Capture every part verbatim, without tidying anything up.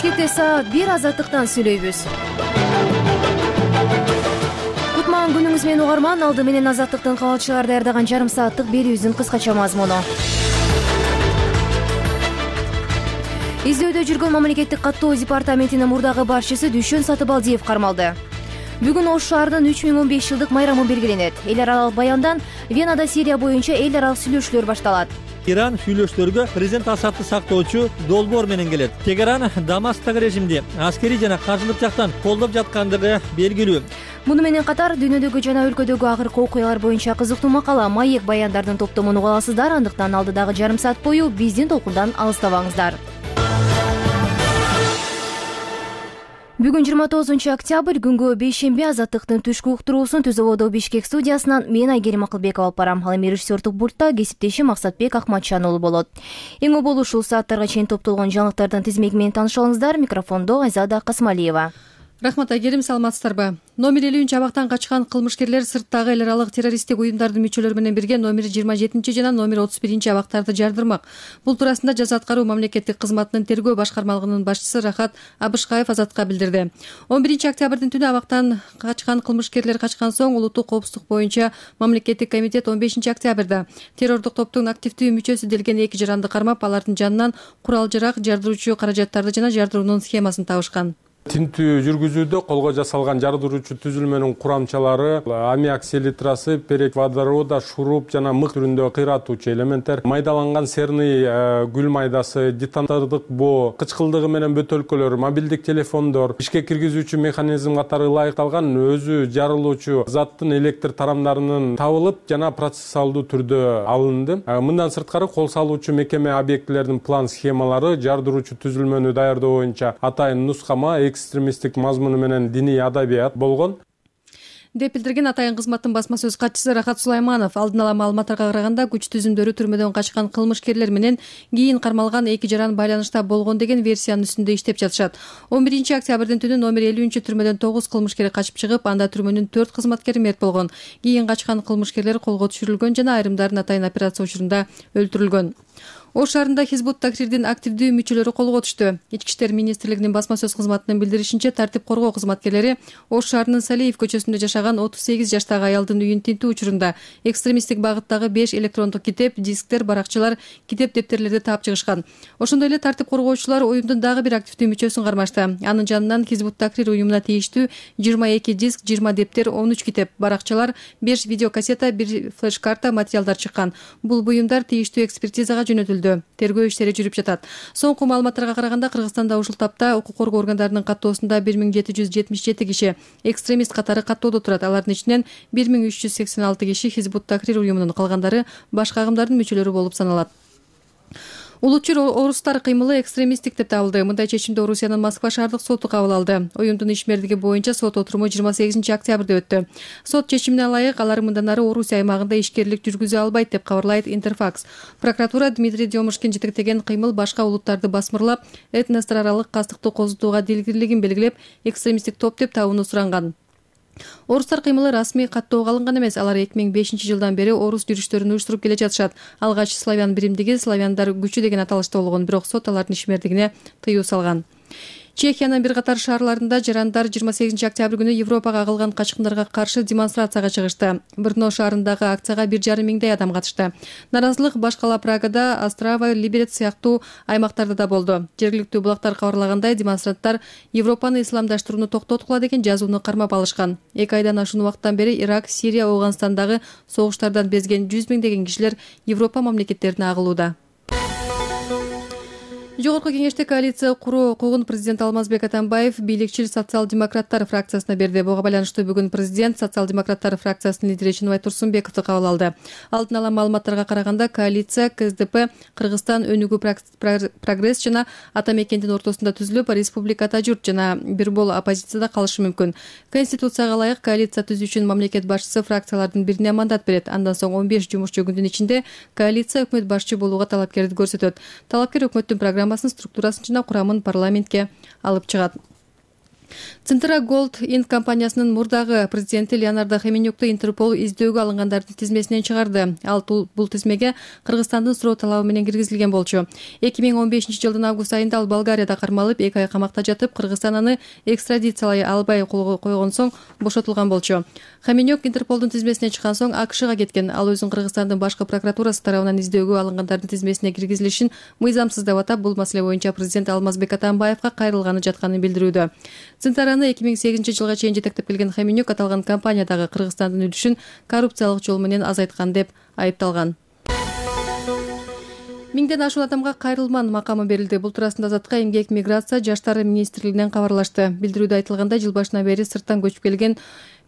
Бишкекте саат бир азаттыктан сүйлөйбүз. Кутман күнүңүз менен угарман, алды менен азаттыктын кабалчылары даярдаган жарым сааттык берүүбүздүн кыскача мазмуну. Издөөдө жүргөн мамлекеттик каттоо департаментинин мурдагы башчысы Дүшөн Сатыбалдиев кармалды. Бүгүн Ош шаарынын үч миң он беш жылдык майрамы белгиленет. Эл аралык баяндан Венада Сирия боюнча эл аралык сүйлөшүүлөр башталат. Иран сүйлөшүүлөргө президент Асадты сактоочу долбоор менен келет. Тегеран Дамасктагы режимди аскерий жана каржылык жактан колдоп жаткандыгы белгилүү. Муну менен катар дүйнөдөгү жана өлкөдөгү акыркы окуялар боюнча кызыктуу макала, маек баяндардын топтомун уга аласыздар. Андыктан алдыдагы жарым саат бою биздин толкундан алыстабаңыздар. Бүгүн жыйырма тогузунчу октябрь күнгө бейшемби азаттыктын түшкү уктуруусун Түз абоодо Бишкек студиясынан мен Айгерим Акылбекова алып барам. Ал эми режиссердук пультта кесиптешим Максатбек Акматжан уулу болот. Эң оболу ушул сааттарга чейин топтолгон жаңылыктардын тизмеги менен тааныша алыңыздар. Микрофондо Айзада Касмалиева. Рахмат Айгерим, саламатсыздарбы? Номер элүүнчү абактан качкан кылмышкерлер сырттагы эл аралык террористтик уюмдардын мүчөлөрү менен бирге номер жыйырма жетинчи жана номер отуз биринчи абактарды жардырмак. Бул туурасында жаза аткаруу мамлекеттик кызматынын тергөө башкармалыгынын башчысы Рахат Абышкаев Азатка билдирди. он биринчи октябрдын түнү абактан качкан кылмышкерлер качкан соң улуттук коопсуздук боюнча мамлекеттик комитет он бешинчи октябрда террордук топтун активдүү мүчөсү делген эки жаранды кармап, алардын жанынан курал-жарак, жардыруучу каражаттарды жана жардыруунун схемасын табышкан. Тинтүү жүргүзүүдө колго жасалган жардыруучу түзүлмөнүн курамчалары аммиак селитрасы, перокводорода, шуруп жана мык түрүндө кыйратуучу элементтер, майдаланган серный гүл майдасы, детонатордук боо, кычкылдыгы менен бөтөлкөлөр, мобилдик телефондор, ишке киргизүүчү механизм катары ылайыкталган өзү жарылуучу заттын электр тарамдарынын табылып жана процессуалдуу түрдө алынды. Мындан сырткары кол салуучу мекеме объектилердин план схемалары, жардыруучу түзүлмөнү даярдоо боюнча атайын нускама, экстремисттик мазмуну менен диний адабият болгон деп билдирген атайын кызматтын басма сөз катчысы Рахат Сулайманов. Алдын ала маалыматтарга караганда күч түзүмдөрү түрмөдөн качкан кылмышкерлер менен кийин кармалган эки жаран байланышта болгон деген версиянын үстүндө иштеп жатышат. он биринчи октябрдын түнү номер элүүнчү түрмөдөн тогуз кылмышкер качып чыгып, анда түрмөнүн төрт кызматкери мерт болгон. Кийин качкан кылмышкерлер колго түшүрүлгөн жана айрымдарын атайын операция учурунда өлтүрүлгөн. Ош шаарында Хизб ut-Tahrirдин активдүү мүчөлөрү колго түштү. Ички иштер министрлигинин басма сөз кызматынын билдиришинче, тартип коргоо кызматкерлери Ош шаарынын Салиев көчөсүндө жашаган отуз сегиз жаштагы аялдын үйүн тинтүү учурунда экстремисттик багыттагы беш электрондук китеп, дисктер, баракчалар, китеп дептерлерди таап чыгышкан. Ошондой эле тартип коргоочулар уюмдун дагы бир активдүү мүчөсүн кармашты. Анын жанынан Хизб ut-Tahrir уюмуна тийиштүү жыйырма эки диск, жыйырма дептер, он үч китеп, баракчалар, беш видеокассета, бир флеш-карта материалдар чыккан. Бул буюмдар тийиштүү экспертизага жөнөтүлдү. Тергөө иштери жүрүп жатат. Соңку маалыматтарга караганда Кыргызстанда ушул тапта укук коргоо органдарынын каттоосунда бир миң жети жүз жетимиш жети киши экстремист катары каттоодо турат. Алардын ичинен бир миң үч жүз сексен алты киши Хизб ut-Tahrir уюмунун, калгандары башка агымдардын мүчөлөрү болуп саналат. Улутчу орустар кыймылы экстремисттик деп табылды. Мындай чечимди Орусиянын Москва шаардык соту кабыл алды. Уюмдун ишмердиги боюнча сот отуруму жыйырма сегизинчи октябрда өттү. Сот чечимине ылайык алар мындан ары Орусия аймагында ишкерлик жүргүзө албайт деп кабарлайт Интерфакс. Прокуратура Дмитрий Демушкин жетектеген кыймыл башка улуттарды басмырлап, этностор аралык кастыкты козутууга дилгирлигин белгилеп, экстремисттик топ деп табууну суранган. Орустар кыймылы расмий каттоого алынган эмес. Алар эки миң бешинчи жылдан бери орус жүрүштөрүн уюштуруп келе жатышат. Алгач славян биримдиги славяндар күчү деген аталышта болгон, бирок сот алардын ишмердигине тыюу салган. Чехиянын бир катар шаарларында жарандар жыйырма сегизинчи октябрь күнү Европага агылган качкындарга каршы демонстрацияга чыгышты. Брно шаарындагы акцияга бир жарым миңдей адам катышты. Наразылык башкала Прагада, Острава, Либерец сыяктуу аймактарда да болду. Жергиликтүү булактар кабарлагандай, демонстранттар Европаны исламдаштырууну токтоткула деген жазууну кармап алышкан. эки айдан ашуун убакыттан бери Ирак, Сирия, Афганистандагы согуштардан безген жүз миңдеген кишилер Европа мамлекеттерине агылууда. Жогорку кеңеште коалиция куруу укугун президент Алмазбек Атамбаев бийликчил социал-демократтар фракциясына берди. Буга байланыштуу бүгүн президент социал-демократтар фракциясынын лидери Чыныбай Турсунбековду кабыл алды. Алдын ала маалыматтарга караганда, коалиция КСДП, Кыргызстан өнүгүү прогресс жана Ата мекендин ортосунда түзүлүп, республикада журт жана бир бол оппозицияда калышы мүмкүн. Конституцияга ылайык коалиция түзүү үчүн мамлекет башчысы фракциялардын бирине мандат берет. Андан соң он беш жумушчу күндүн ичинде коалиция өкмөт башчы болууга талапкердик көрсөтөт. Талапкер өкмөттүн программасын, структурасын жана курамын парламентке алып чыгат. Центра Gold Inc компаниясынын мурдагы президенти Леонардо Хеменюкту Интерпол издөөгө алынгандардын тизмесинен чыгарды. Ал бул тизмеге Кыргызстандын суроо талабы менен киргизилген болчу. эки миң он бешинчи жылдын август айында ал Болгарияда кармалып, эки ай камакта жатып, Кыргызстан аны экстрадициялай албай койгон соң бошотулган болчу. Хеменюк Интерполдун тизмесинен чыккан соң АКШга кеткен. Ал өзүн Кыргызстандын башкы прокуратурасы тарабынан издөөгө алынгандардын тизмесине киргизилишин мыйзамсыз деп атап, бул маселе боюнча президент Алмазбек Атамбаевга кайрылганы жатканын билдирүүдө. Центраны эки миң сегизинчи жылга чейин жетектеп келген Хеменюк аталган компаниядагы Кыргызстандын үлүшүн коррупциялык жол менен азайткан деп айыпталган. Миңден ашуун адамга кайрылман макамы берилди. Бул туурасында Азаттыкка эмгек, миграция, жаштар министрлигинен кабарлашты. Билдирүүдө айтылгандай, жыл башынан бери сырттан көчүп келген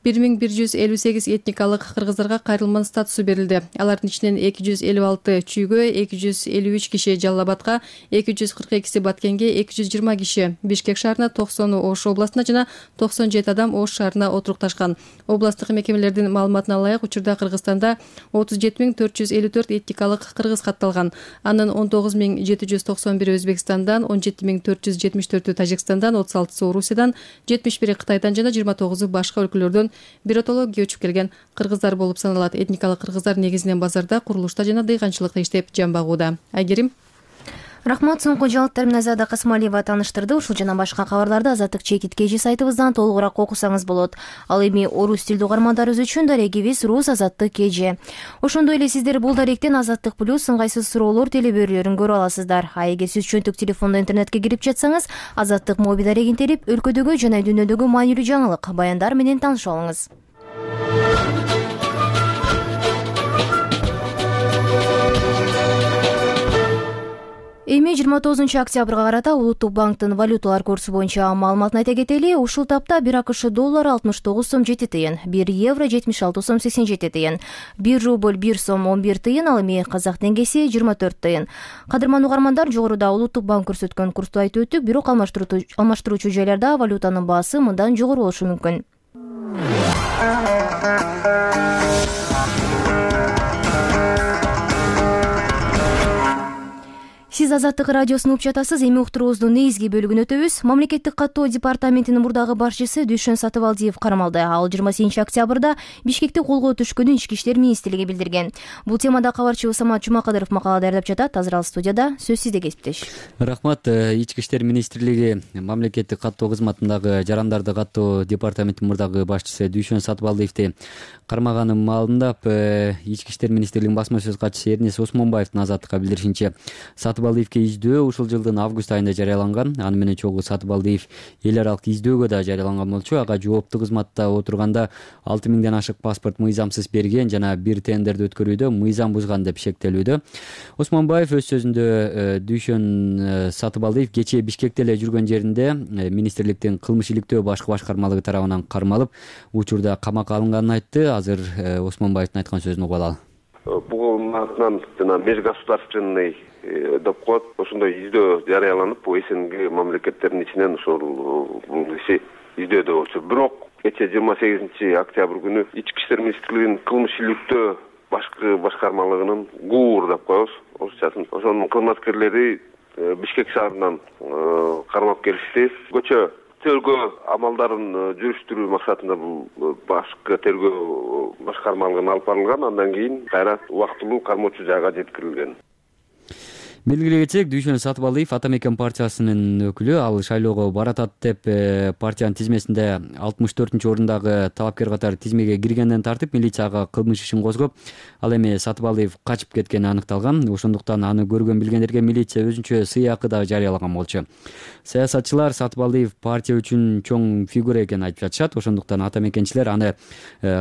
бир миң бир жүз элүү сегиз этникалык кыргыздарга кайрылман статусу берилди. Алардын ичинен эки жүз элүү алты Чүйгө, эки жүз элүү үч киши Жалал Абадка, эки жүз кырк экиси Баткенге, эки жүз жыйырма киши Бишкек шаарына, токсону Ош областына жана токсон жети адам Ош шаарына отурукташкан. Областык мекемелердин маалыматына ылайык, учурда Кыргызстанда отуз жети миң төрт жүз элүү төрт этникалык кыргыз катталган. Анын он тогуз миң жети жүз токсон бири Өзбекстандан, он жети миң төрт жүз жетимиш төртү Тажикстандан, отуз алтысы Орусиядан, жетимиш бири Кытайдан жана жыйырма тогузу башка өлкөлөрдөн биротоло көчүп келген кыргыздар болуп саналат. Этникалык кыргыздар негизинен базарда, курулушта жана дыйканчылыкта иштеп жан багууда. Айгерим. Рахмат, соңку жаңылыктар менен Азада Касмалиева тааныштырды. Ушул жана башка кабарларды Азаттык чекит кежи сайтыбыздан толугураак окусаңыз болот. Ал эми орус тилдүү угармандарыбыз үчүн дарегибиз Рус Азаттык кежи. Ошондой эле сиздер бул даректен Азаттык плюс ыңгайсыз суроолор телебөрүлөрүн көрө аласыздар. А эгер сиз чөнтүк телефондо интернетке кирип жатсаңыз, Азаттык моби дарегин терип, өлкөдөгү жана дүйнөдөгү маанилүү жаңылык, баяндар менен таанышып алыңыз. Эми жыйырма тогузунчу октябрга карата Улуттук банктын валюталар курсу боюнча маалыматын айта кетели. Ушул тапта бир АКШ доллары алтымыш тогуз сом жети тыйын, бир евро жетимиш алты сом сексен жети тыйын, бир рубль бир сом он бир тыйын, ал эми казак теңгеси жыйырма төрт тыйын. Кадырман угармандар, жогоруда Улуттук банк көрсөткөн курсту айтып өттүк, бирок алмаштыруучу жайларда валютанын баасы мындан жогору болушу мүмкүн. Сиз Азаттык радиосун угуп жатасыз. Эми уктуруубуздун негизги бөлүгүнө өтөбүз. Мамлекеттик каттоо департаментинин мурдагы башчысы Дүйшөн Сатыбалдиев кармалды. Ал жыйырма сегизинчи октябрда Бишкекте колго түшкөнүн Ички иштер министрлиги билдирген. Бул темада кабарчыбыз Самат Жумакадыров макала даярдап жатат. Азыр ал студияда. Сөз сизде, кесиптеш. Рахмат. Ички иштер министрлиги мамлекеттик каттоо кызматындагы жарандарды каттоо департаментинин мурдагы башчысы Дүйшөн Сатыбалдиевди кармаганын маалымдап, Ички иштер министрлигинин басма сөз катчысы Эрнес Осмонбаевдин Азаттыкка билдиришинче, Сатыбалдиевге издөө ушул жылдын август айында жарыяланган. Аны менен чогуу Сатыбалдиев эл аралык издөөгө да жарыяланган болчу. Ага жооптуу кызматта отурганда алты миңден ашык паспорт мыйзамсыз берген жана бир тендерди өткөрүүдө мыйзам бузган деп шектелүүдө. Осмонбаев өз сөзүндө Дүйшөн Сатыбалдиев кечээ Бишкекте эле жүргөн жеринде министрликтин кылмыш иликтөө башкы башкармалыгы тарабынан кармалып, учурда камакка алынганын айтты. Азыр Осмонбаевдин айткан сөзүн угуп алалы. Бул атынан жана межгосударственный деп коет, ошондой издөө жарыяланып, бул СНГ мамлекеттеринин ичинен ошол бул иши издөөдө болчу. Бирок кечээ жыйырма сегизинчи октябрь күнү Ички иштер министрлигинин кылмыш иликтөө башкы башкармалыгынын ГУР деп коебуз, орусчасын. Ошонун кызматкерлери Бишкек шаарынан кармап келишти. Көчө тергөө амалдарын жүрүштүрүү максатында бул башкы тергөө башкармалыгына алып барылган. Андан кийин кайра убактылуу кармоочу жайга жеткирилген. Белгилей кетсек, Дүйшөн Сатыбалдиев Ата Мекен партиясынын өкүлү. Ал шайлоого баратат деп партиянын тизмесинде алтымыш төртүнчү орундагы талапкер катары тизмеге киргенден тартып милицияга кылмыш ишин козгоп, ал эми Сатыбалдиев качып кеткени аныкталган. Ошондуктан аны көргөн билгендерге милиция өзүнчө сыйакы да жарыялаган болчу. Саясатчылар Сатыбалдиев партия үчүн чоң фигура экенин айтып жатышат. Ошондуктан Ата Мекенчилер аны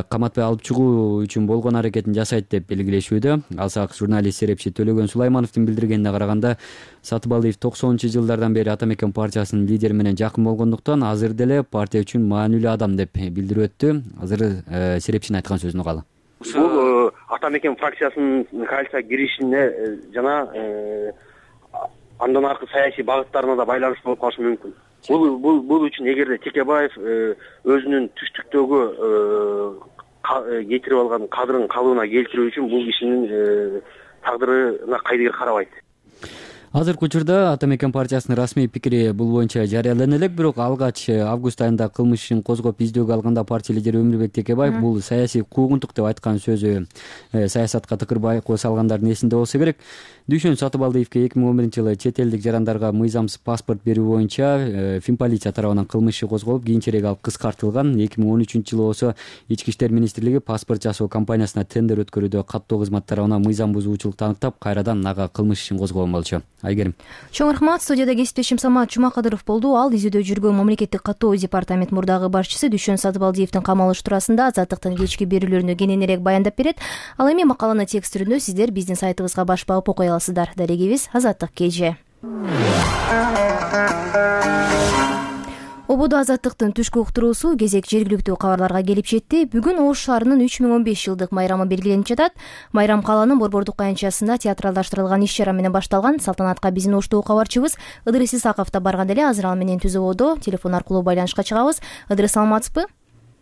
каматпай алып чыгуу үчүн болгон аракетин жасайт деп белгилешүүдө. Алсак журналист серепчи Төлөгөн Сулаймановдун билдиргенине караганда, Сатыбалдиев токсонунчу жылдардан бери Ата Мекен партиясынын лидери менен жакын болгондуктан азыр деле партия үчүн маанилүү адам деп билдирип өттү. Азыр серепчинин айткан сөзүн угалы. Бул Ата Мекен фракциясынын коалицияга киришине жана андан аркы саясий багыттарына да байланыштуу болуп калышы мүмкүн. Бул бул бул үчүн эгерде Текебаев өзүнүн түштүктөгү кетирип алган кадрын калыбына келтирүү үчүн бул кишинин тагдырына кайдыгер карабайт. азыркы учурда ата мекен партиясынын расмий пикири бул боюнча жарыялана элек, бирок алгач август айында кылмыш ишин козгоп издөөгө алганда партия лидери Өмүрбек Текебаев бул саясий куугунтук деп айткан сөзү саясатка тыкыр байкоо салгандардын эсинде болсо керек. Дүйшөн Сатыбалдиевке эки миң он биринчи жылы чет элдик жарандарга мыйзамсыз паспорт берүү боюнча Финполиция тарабынан кылмыш иши козголуп, кийинчерээк ал кыскартылган. эки миң он үчүнчү жылы болсо Ички иштер министрлиги паспорт жасоо компаниясына тендер өткөрүүдө каттоо кызмат тарабынан мыйзам бузуучулукту аныктап, кайрадан ага кылмыш ишин козгогон болчу. Айгерим. Чоң рахмат. Студияда кесиптешим Самат Жумакадыров болду. Ал изилдөө жүргөн мамлекеттик каттоо департамент мурдагы башчысы Дүйшөн Сатыбалдиевдин камалыш туурасында Азаттыктын кечки берүүлөрүнө кененирээк баяндап берет. Ал эми макаланы текст түрүндө сиздер биздин сайтыбызга баш багып окуй аласыздар. Дарегибиз Азаттык кеже. Ободо Азаттыктын түшкү уктуруусу кезек жергиликтүү кабарларга келип жетти. Бүгүн Ош шаарынын үч миң он беш жылдык майрамы белгиленип жатат. Майрам калаанын Борбордук аянтчасында театралдаштырылган иш чара менен башталган. Салтанатка биздин Оштогу кабарчыбыз Ыдырыс Исаков да барган эле. Азыр ал менен түз ободо телефон аркылуу байланышка чыгабыз. Ыдырыс, саламатсызбы?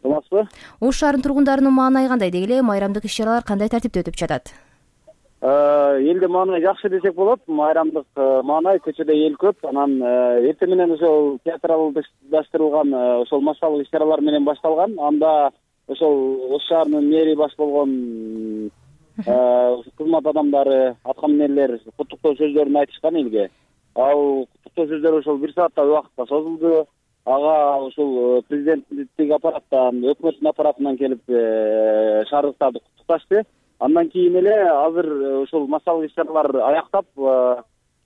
Саламатсызбы? Ош шаарынын тургундарынын маанайы кандай? Деги эле майрамдык иш чаралар кандай тартипте өтүп жатат? Элде маанай жакшы десек болот. Майрамдык маанай, көчөдө эл көп. Анан эртең менен ошол театралдаштырылган ошол массалык иш чаралар менен башталган. Анда ошол Ош шаарынын мэри баш болгон кызмат адамдары, аткаминерлер куттуктоо сөздөрүн айтышкан элге. Ал куттуктоо сөздөр ошол бир сааттай убакытка созулду. Ага ошол президенттик аппараттан, өкмөттүн аппаратынан келип шаардыктарды куттукташты. Андан кийин эле азыр ошол массалык иш чаралар аяктап,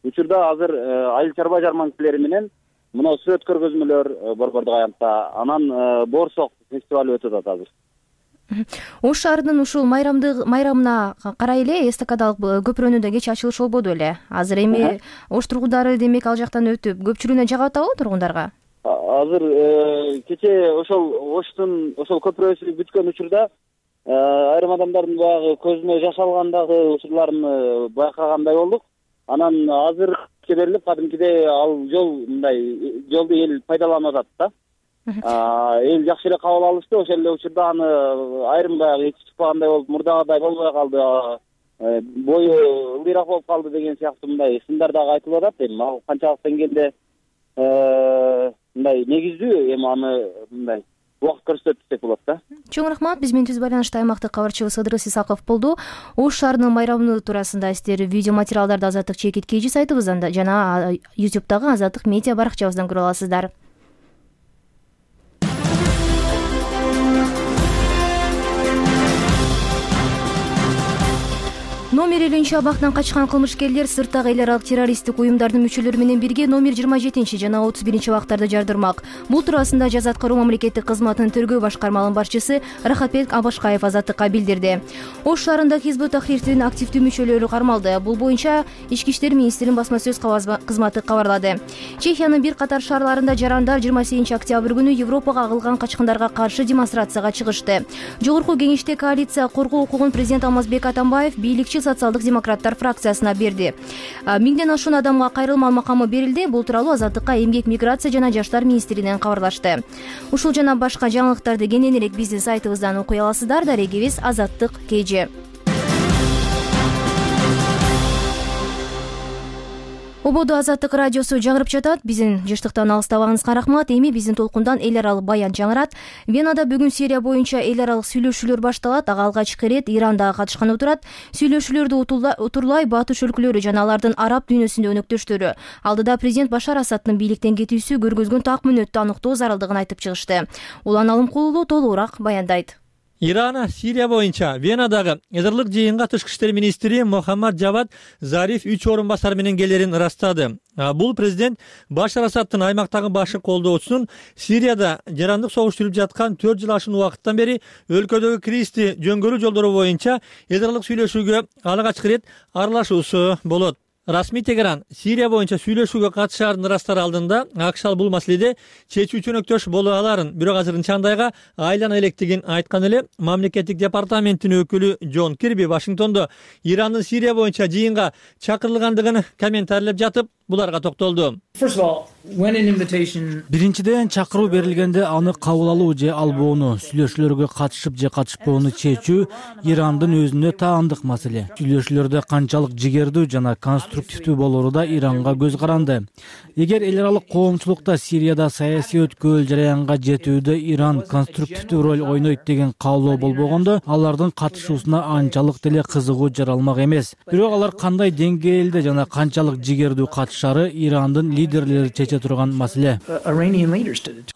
учурда азыр айыл чарба жарманкелери менен мына сүрөт көргөзмөлөр Борбордук аянтта, анан Боорсок фестивалы өтүп атат азыр. Ош шаарынын ушул майрамдык майрамына карай эле эстакадалык көпүрөнү да кечээ ачылышы болбоду эле. Азыр эми Ош тургундары демек ал жактан өтүп, көпчүлүгүнө жагып атабы тургундарга? Азыр кечээ ошол Оштун ошол көпүрөсү бүткөн учурда айрым адамдардын баягы көзүнө жаш алгандагы учурларын байкагандай болдук. Анан азыр берилип, кадимкидей ал жол мындай жолду эл пайдаланып атат да. Эл жакшы эле кабыл алышты. Ошол эле учурда аны айрым баягы эти чыкпагандай болуп, мурдагыдай болбой калды, бою ылдыйраак болуп калды деген сыяктуу мындай сындар дагы айтылып атат. Эми ал канчалык деңгээлде мындай негиздүү, эми аны мындай убакыт көрсөтөт десек болот да. Чоң рахмат. Биз менен түз байланышта аймактык кабарчыбыз Ыдырыс Исаков болду. Ош шаарынын майрамы туурасында сиздер видео материалдарды Азаттык чекит кж сайтыбыздан жана ютубтагы Азаттык медиа баракчабыздан көрө аласыздар. Номер элүүнчү абактан качкан кылмышкерлер сырттагы эл аралык террористтик уюмдардын мүчөлөрү менен бирге номер жыйырма жетинчи жана отуз биринчи абактарды жардырмак. Бул туурасында жаза аткаруу мамлекеттик кызматынын тергөө башкармалыгынын башчысы Рахатбек Абашкаев Азаттыкка билдирди. Ош шаарында Хизбут Тахрирдин активдүү мүчөлөрү кармалды. Бул боюнча Ички иштер министринин басма сөз кызматы кабарлады. Чехиянын бир катар шаарларында жарандар жыйырма сегизинчи октябрь күнү Европага агылган качкындарга каршы демонстрацияга чыгышты. Жогорку кеңеште коалиция коргоо укугун президент Алмазбек Атамбаев бийликчи социалдык демократтар фракциясына берди. Миңден ашуун адамга кайрылма макамы берилди. Бул тууралуу Азаттыкка эмгек, миграция жана жаштар министринен кабарлашты. Ушул жана башка жаңылыктарды кененирээк биздин сайтыбыздан окуй аласыздар. Дарегибиз Азаттык кж. Ободо Азаттык радиосу жаңырып жатат. Биздин жыштыктан алыстабагыңызга рахмат. Эми биздин толкундан эл аралык баян жаңырат. Венада бүгүн Сирия боюнча эл аралык сүйлөшүүлөр башталат. Ага алгачкы ирет Иран дагы катышканы турат. Сүйлөшүүлөрдү утурлай батыш өлкөлөрү жана алардын араб дүйнөсүндө өнөктөштөрү алдыда президент Башар Асадтын бийликтен кетүүсү көргөзгөн так мүнөттү аныктоо зарылдыгын айтып чыгышты. Улан Алымкулуу толугураак баяндайт. Иран Сирия боюнча Венадагы эзирлик жыйынга тышкы иштер министри Мохаммад Джавад Зариф үч орун басар менен келерин ырастады. Бул президент Башар Асадтын аймактагы башы колдоочусунун Сирияда жарандык согуш жүрүп жаткан төрт жыл ашуун убакыттан бери өлкөдөгү кризисти жөнгөрүү жолдору боюнча эзирлик сүйлөшүүгө алгачкы ирет аралашуусу болот. Расмий Тегеран Сирия боюнча сүйлөшүүгө катышаарын ырастар алдында АКШ бул маселеде чечүү чөнөктөш боло аларын, бирок азырынча андайга айлана электигин айткан эле. Мамлекеттик департаменттин өкүлү Джон Кирби Вашингтондо Ирандын Сирия боюнча жыйынга чакырылгандыгын комментарийлеп жатып, буларга токтолду. Биринчиден, чакыруу берилгенде аны кабыл алуу же албоону, сүйлөшүүлөргө катышып же катышпоону чечүү Ирандын өзүнө таандык маселе. Сүйлөшүүлөрдө канчалык жигердүү жана конструктивдүү болору да Иранга көз каранды. Эгер эл аралык коомчулукта Сирияда саясий өткөл жараянга жетүүдө Иран конструктивдүү роль ойнойт деген каалоо болбогондо, алардын катышуусуна анчалык деле кызыгуу жаралмак эмес. Бирок алар кандай деңгээлде жана канчалык жигердүү катышары Ирандын лидерлери чече турган маселе.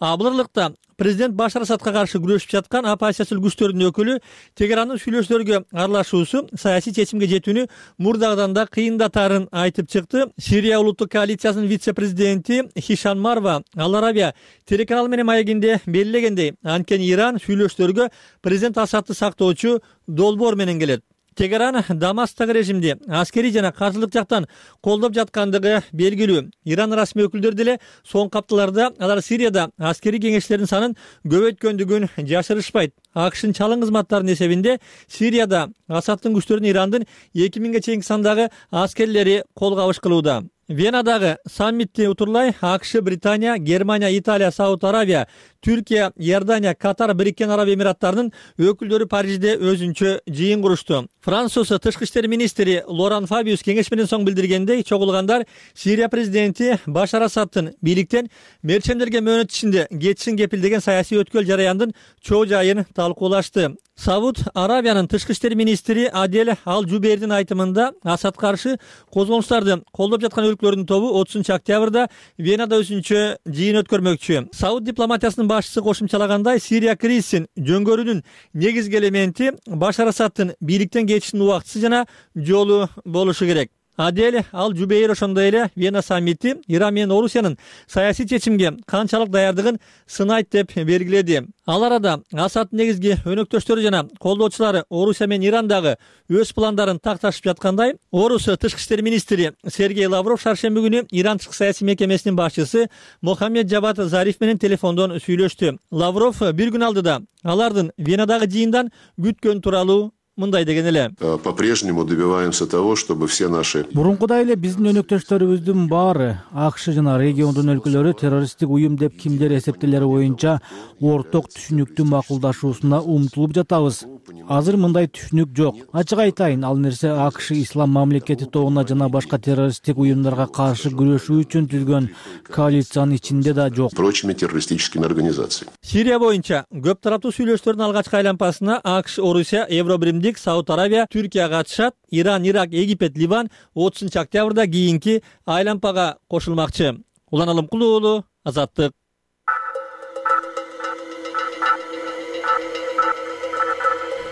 А бул ырлыкта президент Башар Асадка каршы күрөшүп жаткан оппозициялык күчтөрдүн өкүлү Тегерандын сүйлөшүүлөргө аралашуусу саясий чечимге жетүүнү мурдагыдан да кыйындатарын айтып чыкты. Сирия улуттук коалициясынын вице-президенти Хишан Марва Ал Арабия телеканалы менен маегинде белгилегендей, анткени Иран сүйлөшүүлөргө президент Асадты сактоочу долбоор менен келет. Тегеран Дамасктагы режимди аскерий жана каржылык жактан колдоп жаткандыгы белгилүү. Иран расмий өкүлдөрү деле соңку апталарда алар Сирияда аскерий кеңештердин санын көбөйткөндүгүн жашырышпайт. АКШнын чалым кызматтарынын эсебинде Сирияда Асадтын күчтөрүн Ирандын эки миңге чейинки сандагы аскерлери кол кабыш кылууда. Венадагы саммитти утурлай АКШ, Британия, Германия, Италия, Сауд Арабия, Түркия, Иордания, Катар, Бириккен Араб Эмираттарынын өкүлдөрү Парижде өзүнчө жыйын курушту. Француз тышкы иштер министри Лоран Фабиус кеңеш менен соң билдиргендей, чогулгандар Сирия президенти Башар Асадтын бийликтен мерчемдерге мөөнөт ичинде кетишин кепилдеген саясий өткөл жараяндын чоо жайын талкуулашты. Сауд Арабиянын тышкы иштер министри Адель Ал-Жубейрдин айтымында Асад каршы козголуштарды колдоп жаткан өлкөлөрдүн тобу отузунчу октябрда Венада өзүнчө жыйын өткөрмөкчү. Сауд дипломатиясынын башчысы кошумчалагандай, Сирия кризисин жөнгөрүүнүн негизги элементи Башар Асадтын бийликтен кетишинин убактысы жана жолу болушу керек. Адель Ал-Жубейр ошондой эле Вена саммити Иран менен Орусиянын саясий чечимге канчалык даярдыгын сынайт деп белгиледи. Ал арада Асадтын негизги өнөктөштөрү жана колдоочулары Орусия менен Ирандагы өз пландарын такташып жаткандай, Орус тышкы иштер министри Сергей Лавров шаршемби күнү Иран тышкы саясий мекемесинин башчысы Мохаммед Джавад Зариф менен телефондон сүйлөштү. Лавров бир күн алдыда алардын Венадагы жыйындан күткөн тууралуу мындай деген эле. По-прежнему добиваемся того, чтобы все наши Мурункудай эле биздин өнөктөштөрүбүздүн баары АКШ жана региондун өлкөлөрү террористтик уюм деп кимдер эсептелери боюнча орток түшүнүктүү макулдашуусуна умтулуп жатабыз. Азыр мындай түшүнүк жок. Ачык айтайын, ал нерсе АКШ ислам мамлекети тобуна жана башка террористтик уюмдарга каршы күрөшүү үчүн түзгөн коалициянын ичинде да жок. Прочими террористическими организациями. Сирия боюнча көп тараптуу сүйлөшүүлөрдүн алгачкы айлампасына АКШ, Орусия, Евробирим, Сауд Арабия, Түркия катышат. Иран, Ирак, Египет, Ливан отузунчу октябрда кийинки айлампага кошулмакчы. Улан Алымкулуу уулу, Азаттык.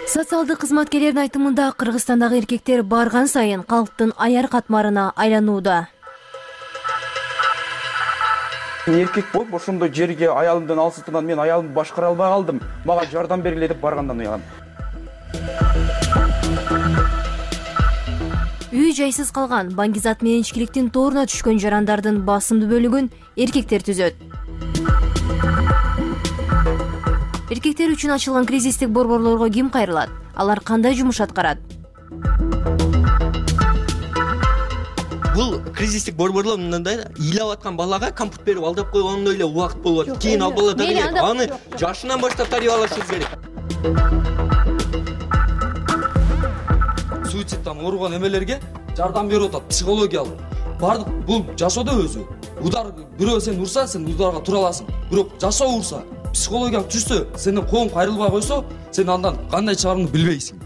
Социалдык кызматкерлердин айтымында Кыргызстандагы эркектер барган сайын калктын аяр катмарына айланууда. Эркек болуп ошондой жерге аялымдан алсытынан мен аялымды башкара албай калдым. Мага жардам бергиле деп баргандан уягам. Үй жайсыз калган, баңгизат менен ичкиликтин тооруна түшкөн жарандардын басымдуу бөлүгүн эркектер түзөт. Эркектер үчүн ачылган кризистик борборлорго ким кайрылат? Алар кандай жумуш аткарат? Бул кризистик борборлор мындай ыйлап аткан балага компьютер берип алдап койгондой эле убакыт болуп атат. Кийин ал бала дагы аны жашынан баштап тарбиялашыбыз керек. Суицидтан ооруган эмелерге жардам берип атат, психологиялык. Бардык бул жашоодо өзү. Удар бирөө сени урса, сен ударга тура аласың. Бирок жашоо урса, психологиялык түшсө, сенин колуң кайрылбай койсо, сен андан кандай чыгарыңды билбейсиң.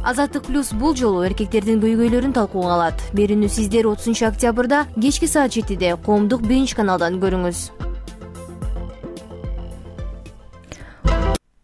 Азаттык плюс бул жолу эркектердин көйгөйлөрүн талкууга алат. Берүүнү сиздер отузунчу октябрда кечки саат жетиде коомдук биринчи каналдан көрүңүз.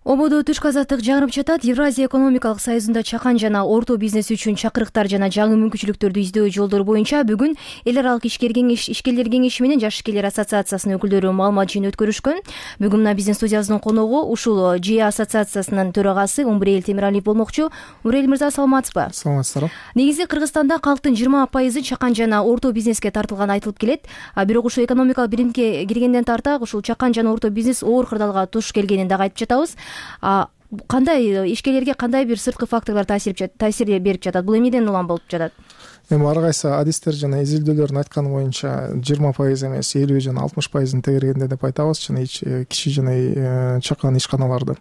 Ободо түшкү азаттык жаңырып жатат. Евразия экономикалык союзунда чакан жана орто бизнес үчүн чакырыктар жана жаңы мүмкүнчүлүктөрдү издөө жолдор боюнча бүгүн эл аралык ишкер кеңеш ишкерлер кеңеши менен жаш ишкерлер ассоциациясынын өкүлдөрү маалымат жыйын өткөрүшкөн. Бүгүн мына биздин студиябыздын коногу ушул жи ассоциациясынын төрагасы Умбурел Темиралиев болмокчу. Умбурел мырза, саламатсызбы? Саламатсыздар. Негизи Кыргызстанда калктын жыйырма пайызы чакан жана орто бизнеске тартылганы айтылып келет. А бирок ушул экономикалык биримге киргенден тарта ушул чакан жана орто бизнес оор кырдаалга туш келгенин дагы айтып жатабыз. А кандай ишкерлерге кандай бир сырткы факторлор таасир таасир берип жатат? Бул эмнеден улам болуп жатат? эми ар кайсы адистер жана изилдөөлөрдүн айтканы боюнча жыйырма пайыз эмес элүү жана алтымыш пайызын тегергенде деп айтабыз жана кичи жана чакан ишканаларды.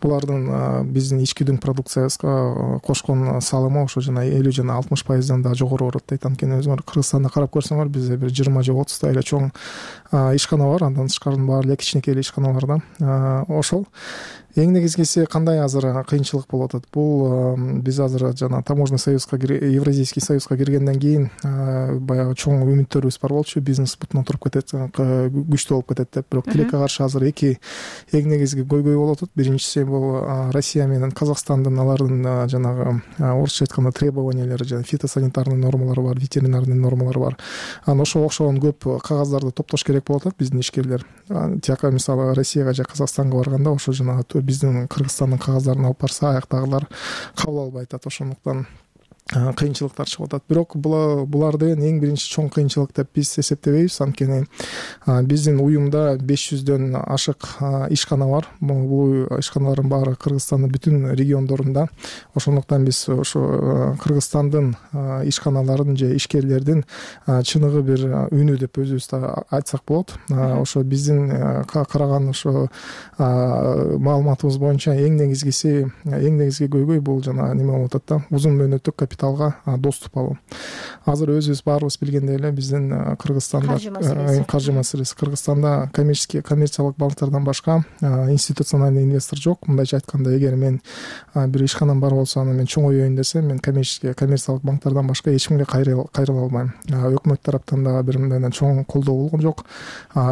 Булардын биздин ички дүң продукциябызга кошкон салымы ошо жана элүү жана алтымыш пайыздан да жогору болот дейт. Анткени өзүңөр Кыргызстанда карап көрсөңөр бизде бир жыйырма же отуздай эле чоң ишкана бар, андан тышкары баары эле кичинекей эле ишканалар да. Ошол эң негизгиси кандай азыр кыйынчылык болуп атат. Бул биз азыр жана таможенный союзга, Евразийский союзга киргенден кийин баягы чоң үмүттөрүбүз бар болчу, бизнес бутуна туруп кетет, күчтүү болуп кетет деп. Бирок тилекке каршы азыр эки эң негизги көйгөй болуп атат. Биринчиси бул Россия менен Казакстандын алардын жанагы орусча айтканда требованиялары, жана фитосанитарный нормалары бар, ветеринарный нормалары бар. Анан ошого окшогон көп кагаздарды топтош керек болуп атат биздин ишкерлер. Тияка мисалы Россияга же Казакстанга барганда ошо жана биздин Кыргызстандын кагаздарын алып барса, аяктагылар кабыл албай атат. Ошондуктан кыйынчылыктар чыгып атат. Бирок булар деген эң биринчи чоң кыйынчылык деп биз эсептебейбиз. Анткени биздин уюмда беш жүздөн ашык ишкана бар. Бул ишканалардын баары Кыргызстандын бүтүн региондорунда. Ошондуктан биз ошо Кыргызстандын ишканаларын же ишкерлердин чыныгы бир үнү деп өзүбүз айтсак болот. Ошо биздин караган ошо маалыматыбыз боюнча эң негизгиси, эң негизги көйгөй бул жана неме болуп атат да, узун мөөнөттүк капиталга доступ алуу. Азыр өзүбүз баарыбыз билгендей эле биздин Кыргызстанда каржы маселеси, Кыргызстанда коммерческий коммерциялык банктардан башка институциональный инвестор жок. Мындайча айтканда, эгер мен бир ишканам бар болсо, аны мен чоңоюйын десем, мен коммерческий коммерциялык банктардан башка эч кимге кайрыла албайм. Өкмөт тараптан да бир мындай чоң колдоо болгон жок,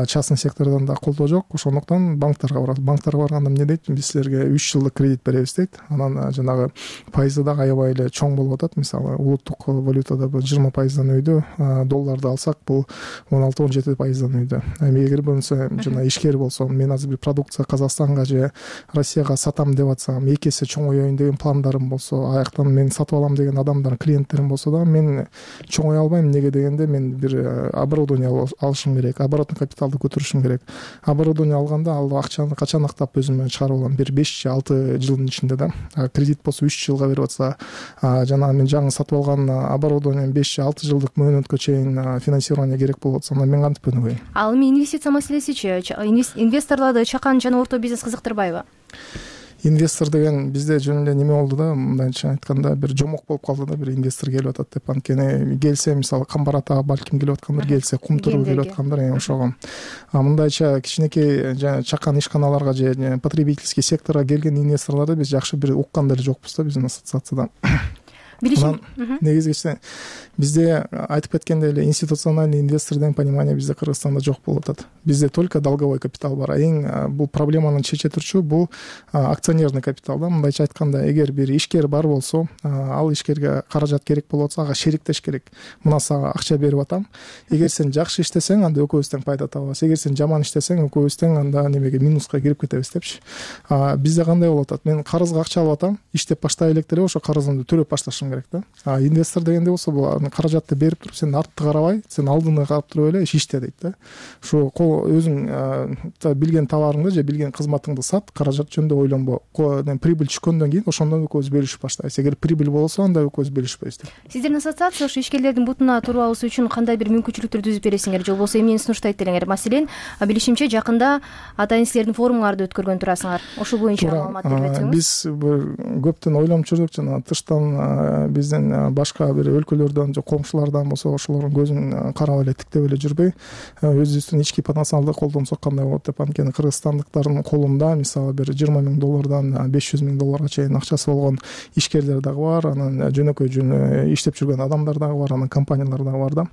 частный сектордон да колдоо жок. Ошондуктан банктарга барат. Банктарга барганда эмне дейт? Биз силерге үч жылдык кредит беребиз дейт. Анан жанагы пайызы да аябай эле чоң болуп атат. Мисалы улуттук валютада жыйырма пайыздан өйдө, долларды алсак бул он алты он жети пайыздан өйдө. Эми эгер болсо жана ишкер болсом, мен азыр бир продукция Казакстанга же Россияга сатам деп атсам, эки эсе чоңоюйын деген пландарым болсо, аяктан мен сатып алам деген адамдар, клиенттерим болсо да, мен чоңое албайм. Эмнеге дегенде, мен бир оборудование алышым керек, оборотный капиталды көтөрүшүм керек. Оборудование алганда ал акчаны качан актап өзүм чыгарып алам? Бир беш же алты жылдын ичинде да. Кредит болсо үч жылга берип атса, жана мен жаңы сатып алган оборудование беш же алты жылдык мөөнөткө чейин финансирование керек болуп атса, мен кантип өнүгөйм? Ал эми инвестиция маселесичи, инвесторлорду чакан жана орто бизнес кызыктырбайбы? Инвестор деген бизде жөн эле неме болду да, мындайча айтканда бир жомок болуп калды да, бир инвестор келип атат деп. Анткени келсе, мисалы Камбар ата балким келип аткандыр, келсе Кумтуру келип аткандыр, ошого. А мындайча кичинекей жана чакан ишканаларга же потребительский секторго келген инвесторлорду биз жакшы бир уккан деле жокпуз да биздин ассоциацияда. Билишим негизгиси бизде айтып кеткендей эле институциональный инвестор деген понимание бизде Кыргызстанда жок болуп атат. Бизде только долговой капитал бар. Эң бул проблеманы чече турчу бул акционерный капитал да. Мындайча айтканда, эгер бир ишкер бар болсо, ал ишкерге каражат керек болуп атса, ага шериктеш керек. Мына сага акча берип атам. Эгер сен жакшы иштесең, анда экөөбүз тең пайда табабыз. Эгер сен жаман иштесең, экөөбүз тең анда немеге, минуска кирип кетебиз депчи. Бизде кандай болуп атат? Мен карызга акча алып атам, иштеп баштай элек деле ошо карызымды төлөп башташым керек да. А инвестор дегенде болсо, бул каражатты берип туруп, сен артты карабай, сен алдыны карап туруп эле иште дейт да. Ошо өзүң билген товарыңды же билген кызматыңды сат, каражат жөнүндө ойлонбо. Прибыль түшкөндөн кийин ошондон экөөбүз бөлүшүп баштайбыз. Эгер прибыль болсо, анда экөөбүз бөлүшпөйбүз деп. Сиздердин ассоциация ошо ишкерлердин бутуна туруп алуу үчүн кандай бир мүмкүнчүлүктөр түзүп бересиңер же болбосо эмнени сунуштайт делеңер? Маселен, билишимче жакында атайын силердин форумуңарды өткөргөн турасыңар. Ошол боюнча маалымат берип өтсөңүз. Биз көптөн ойлонуп жүрдүк, жана тыштан биздин башка бир өлкөлөрдөн же коңшулардан болсо, ошолордун көзүн карап эле тиктеп эле жүрбөй, өзүбүздүн ички потенциалды колдонсок кандай болот деп. Анткени кыргызстандыктардын колунда мисалы бир жыйырма миң доллардан беш жүз миң долларга чейин акчасы болгон ишкерлер дагы бар, анан жөнөкөй жөн иштеп жүргөн адамдар дагы бар, анан компаниялар дагы бар да.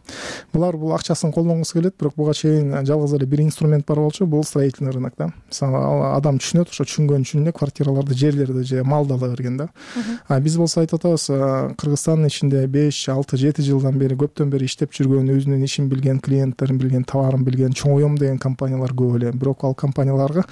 Булар бул акчасын колдонгусу келет, бирок буга чейин жалгыз эле бир инструмент бар болчу, бул строительный рынок да. Мисалы адам түшүнөт, ошо түшүнгөн үчүн квартираларды, жерлерди же малды ала берген да. А биз болсо айтып атабыз, Кыргызстандын ичинде беш алты жети жылдан бери көптөн бери иштеп жүргөн, өзүнүн ишин билген, клиенттерин билген, товарын билген, чоңоем деген компаниялар көп эле. Бирок ал компанияларга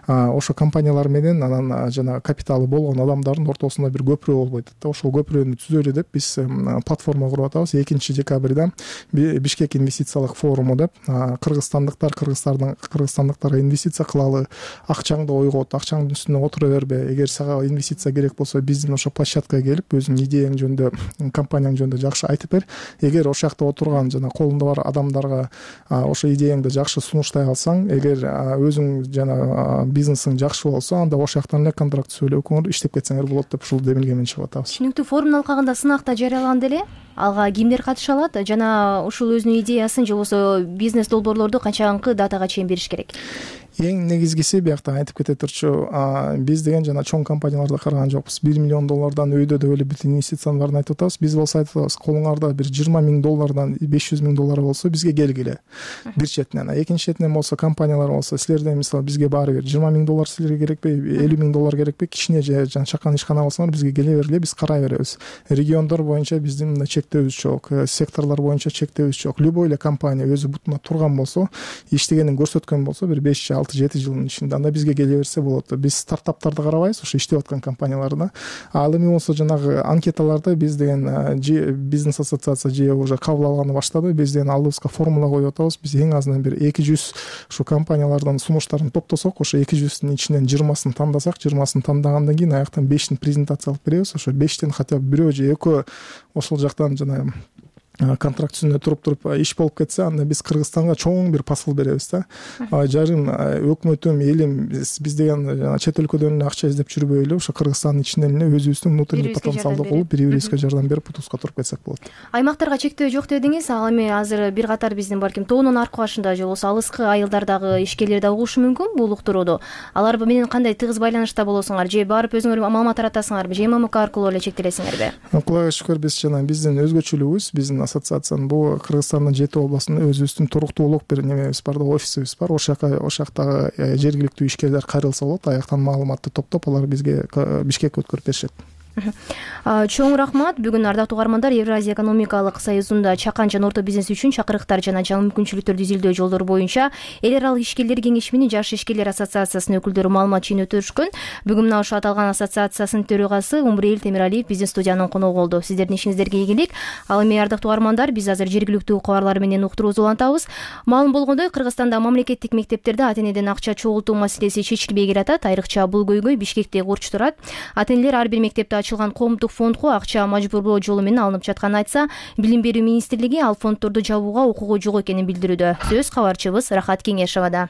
ошо компаниялар менен анан жана капиталы болгон адамдардын ортосунда бир көпүрө болбойт да. Ошол көпүрөнү түзөлү деп биз платформа куруп атабыз. экинчи декабрда Бишкек инвестициялык форуму деп, кыргызстандыктар кыргыздардын кыргызстандыктарга инвестиция кылалы, акчаңды ойгот, акчаңдын үстүнө отура бербе. Эгер сага инвестиция керек болсо, биздин ошо площадкага келип өзүңдүн идеяңды жөнүндө компанияң жөнүндө жакшы айтып бер. Эгер ошол жакта отурган жана колунда бар адамдарга ошо идеяңды жакшы сунуштай алсаң, эгер өзүң жана бизнесиң жакшы болсо, анда ошол жактан эле контракт сүйлөп көңүл иштеп кетсеңер болот деп ушул демилге менен чыгып атабыз. Түшүнүктүү. Форумдун алкагында сынак да жарыяланды эле. Алга кимдер катыша алат жана ушул өзүнүн идеясын же болбосо бизнес долбоорлорду канчанкы датага чейин бериш керек? Эң негизгиси биякта айтып кете турчу, биз деген жана чоң компанияларда караган жокпуз. бир миллион доллардан өйдө деп эле бүт инвестициянын баарын айтып атабыз. Биз болсо айтып атабыз, колуңарда бир жыйырма миң доллардан беш жүз миң доллар болсо бизге келгиле. Бир четинен, экинчи четинен болсо компаниялар болсо, силерден мисалы бизге баары бир жыйырма миң доллар силерге керекпи, элүү миң доллар керекпи, кичине же жана чакан ишкана болсоңор бизге келе бергиле, биз карай беребиз. Региондор боюнча биздин мындай чектөөбүз жок, секторлор боюнча чектөөбүз жок. Любой эле компания өзү бутуна турган болсо, иштегенин көрсөткөн болсо, бир беш алты жети жылдын ичинде анда бизге келе берсе болот. Биз стартаптарды карабайбыз, ошо иштеп аткан компанияларда. Ал эми болсо жанагы анкеталарда биз деген бизнес ассоциация же уже кабыл алганы баштады. Биз деген алдыбызга формула коюп атабыз. Биз эң азынан бир эки жүз ушу компаниялардын сунуштарын топтосок, ошо эки жүздүн ичинен жыйырмасын тандасак, жыйырмасын тандагандан кийин аяктан бештин презентация алып беребиз. Ошо бештен хотя бы бирөө же экөө ошол жактан жана контракт үстүндө туруп туруп иш болуп кетсе, анда биз Кыргызстанга чоң бир посыл беребиз да. Жарым өкмөтүм, элим, биз деген чет өлкөдөн эле акча издеп жүрбөйлү, ошо Кыргызстандын ичинен эле өзүбүздүн внутренний потенциалды колуп, бири-бирибизге жардам берип, утуска туруп кетсек болот. Аймактарга чектөө жок дедиңиз. Ал эми азыр бир катар биздин балким тоонун аркы башында же болбосо алыскы айылдардагы ишкерлер да угушу мүмкүн бул уктурууду. Алар менен кандай тыгыз байланышта болосуңар, же барып өзүңөр маалымат таратасыңарбы, же эм эм к аркылуу эле чектелесиңерби? Кудайга шүкүр, биз жана биздин өзгөчөлүгүбүз, биздин ассоциациянын бул Кыргызстандын жети областында өзүбүздүн туруктуулук бир немебиз бар да, офисибиз бар. Ошол жака ошол жактагы жергиликтүү ишкерлер кайрылса болот, аяктан маалыматты топтоп, алар бизге Бишкекке өткөрүп беришет. Чоң рахмат. Бүгүн ардактуу угармандар, Евразия экономикалык союзунда чакан жана орто бизнес үчүн чакырыктар жана жаңы мүмкүнчүлүктөрдү изилдөө жолдору боюнча эл аралык ишкерлер кеңеши менен Жаш ишкерлер ассоциациясынын өкүлдөрү маалымат жыйнөтүшкөн. Бүгүн мына ошо аталган ассоциациясынын төрагасы Умбурел Темиралиев биздин студиянын коногу болду. Сиздердин ишиңиздерге ийгилик. Ал эми ардактуу угармандар, биз азыр жергиликтүү кабарлар менен уктуруубузду улантабыз. Маалым болгондой, Кыргызстанда мамлекеттик мектептерде ата-энеден акча чогултуу маселеси чечилбей келатат. Айрыкча бул көйгөй Бишкекте урч турат. Ата-энелер ар бир мектепте ачылган коомдук фондго акча мажбурлоо жолу менен алынып жатканын айтса, Билим берүү министрлиги ал фонддорду жабууга укугу жок экенин билдирүүдө. Сөз кабарчыбыз Рахат Кеңешевада.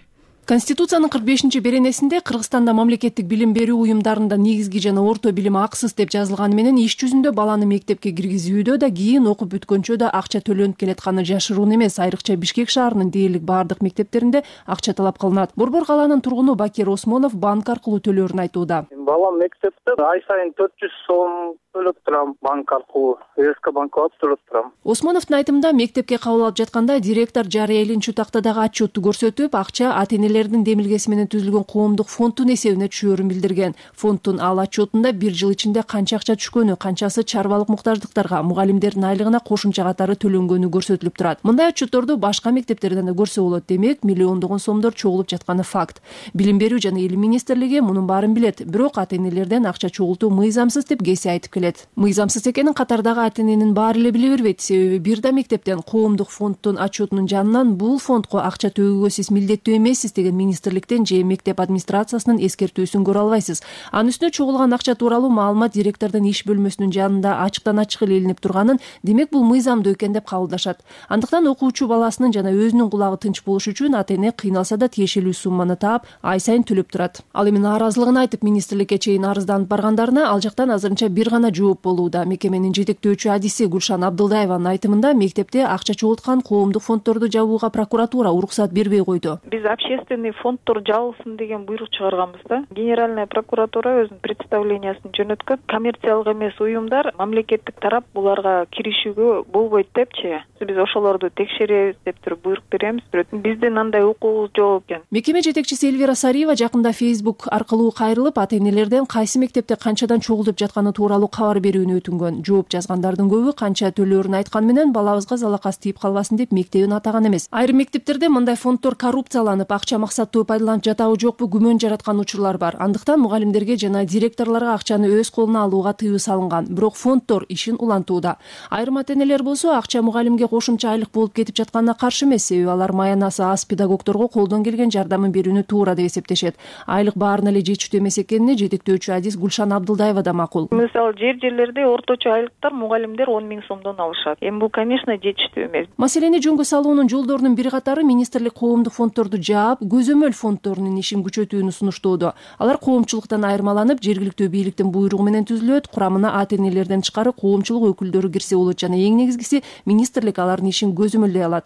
Конституциянын кырк бешинчи беренесинде Кыргызстанда мамлекеттик билим берүү уюмдарында негизги жана орто билим акысыз деп жазылганы менен иш жүзүндө баланы мектепке киргизүүдө да, кийин окуп бүткөнчө да акча төлөнүп келатканы жашыруун эмес. Айрыкча Бишкек шаарынын дээрлик баардык мектептеринде акча талап кылынат. Борбор калаанын тургуну Бакир Осмонов банк аркылуу төлөөрүн айтууда. Балам мектепте ай сайын төрт жүз сом төлөп турам, банк аркылуу, СК банкка барып төлөп турам. Осмоновдун айтымында, мектепке кабыл алып жатканда директор жарыя элинчүү тактадагы отчетту көрсөтүп, акча ата-энелердин демилгеси менен түзүлгөн коомдук фонддун эсебине түшөөрүн билдирген. Фонддун ал отчетунда бир жыл ичинде канча акча түшкөнү, канчасы чарбалык муктаждыктарга, мугалимдердин айлыгына кошумча катары төлөнгөнү көрсөтүлүп турат. Мындай отчетторду башка мектептерден да көрсө болот. Демек, миллиондогон сомдор чогулуп жатканы факт. Билим берүү жана илим министрлиги мунун баарын билет, бирок ата-энелерден акча чогултуу мыйзамсыз деп кеси айтып келет. Мыйзамсыз экенин катардагы ата-эненин баары эле биле бербейт. Себеби бир да мектептен коомдук фонддун отчетунун жанынан бул фондго акча төгүүгө сиз милдеттүү эмессиз деген министрликтен же мектеп администрациясынын эскертүүсүн көрө албайсыз. Анын үстүнө чогулган акча тууралуу маалымат директордун иш бөлмөсүнүн жанында ачыктан ачык эле илинип турганын, демек бул мыйзамдуу экен деп кабылдашат. Андыктан окуучу баласынын жана өзүнүн кулагы тынч болуш үчүн ата-эне кыйналса да тиешелүү сумманы таап, ай сайын төлөп турат. Ал эми нааразылыгын айтып министрликке чейин арызданып баргандарына ал жактан азырынча бир гана жооп болууда. Мекеменин жетектөөчү адиси Гүлшан Абдылдаеванын айтымында, мектепте акча чогулткан коомдук фонддорду жабууга прокуратура уруксат бербей койду. Биз общественный фонддор жабылсын деген буйрук чыгарганбыз да. Генеральная прокуратура өзүнүн представлениясын жөнөткөн. Коммерциялык эмес уюмдар мамлекеттик тарап буларга киришүүгө болбойт депчи. Биз ошолорду текшеребиз деп туруп буйрук беребиз, бирок биздин андай укугубуз жок экен. Мекеме жетекчиси Эльвира Сариева жакында Facebook аркылуу кайрылып, ата-энелерден кайсы мектепте канчадан чогултуп жатканы тууралуу кабар берүүнү өтүнгөн. Жооп жазгандардын көбү канча төлөөрүн айткан менен балабызга залакас тийип калбасын деп мектебин атаган эмес. Айрым мектептерде мындай фонддор коррупцияланып, акча максаттуу пайдаланып жатабы жокпу күмөн жараткан учурлар бар. Андыктан мугалимдерге жана директорлорго акчаны өз колуна алууга тыюу салынган. Бирок фонддор ишин улантууда. Айрым ата-энелер болсо акча мугалимге кошумча айлык болуп кетип жатканына каршы эмес, себеби алар маянасы аз педагогдорго колдон келген жардамын берүүнү туура деп эсептешет. Айлык баарын эле жетиштүү эмес экенине жетектөөчү адис Гүлшан Абдылдаева да макул. Мисалы же кээ бир жерлерде орточо айлыктар мугалимдер он миң сомдон алышат. Эми бул конечно жетиштүү эмес. Маселени жөнгө салуунун жолдорунун бир катары министрлик коомдук фонддорду жаап, көзөмөл фонддорунун ишин күчөтүүнү сунуштоодо. Алар коомчулуктан айырмаланып, жергиликтүү бийликтин буйругу менен түзүлөт, курамына ата энелерден тышкары коомчулук өкүлдөрү кирсе болот жана эң негизгиси министрлик алардын ишин көзөмөлдөй алат.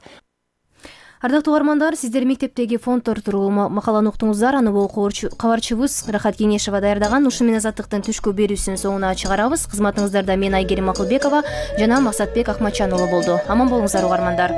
Ардактуу угармандар, сиздер мектептеги фонддор тууралуу макаланы уктуңуздар. Аны бул кабарчыбыз Рахат Кеңешева даярдаган. Ушун менен Азаттыктын түшкү берүүсүнүн соңуна чыгарабыз. Кызматыңыздарда мен Айгерим Акылбекова жана Максатбек Акматжан уулу болду. Аман болуңуздар угармандар.